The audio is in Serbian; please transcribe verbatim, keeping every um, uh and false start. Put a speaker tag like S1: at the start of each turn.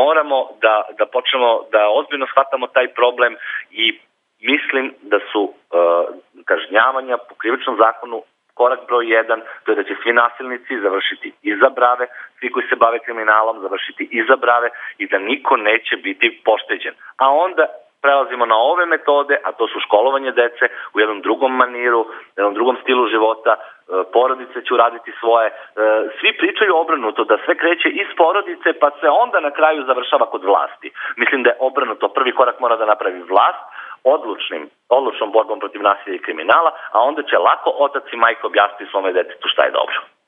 S1: moramo da, da počnemo da ozbiljno shvatamo taj problem i mislim da su uh, kažnjavanja po krivičnom zakonu korak broj jedan, to je da će svi nasilnici završiti iza brave, svi koji se bave kriminalom završiti iza brave i da niko neće biti pošteđen. A onda prelazimo na ove metode, a to su školovanje dece u jednom drugom maniru, u jednom drugom stilu života, porodice će uraditi svoje. Svi pričaju obrnuto, da sve kreće iz porodice, pa se onda na kraju završava kod vlasti. Mislim da je obrnuto. Prvi korak mora da napravi vlast, odlučnim, odlučnom borbom protiv nasilja i kriminala, a onda će lako otac i majka objasniti svome detetu šta je dobro.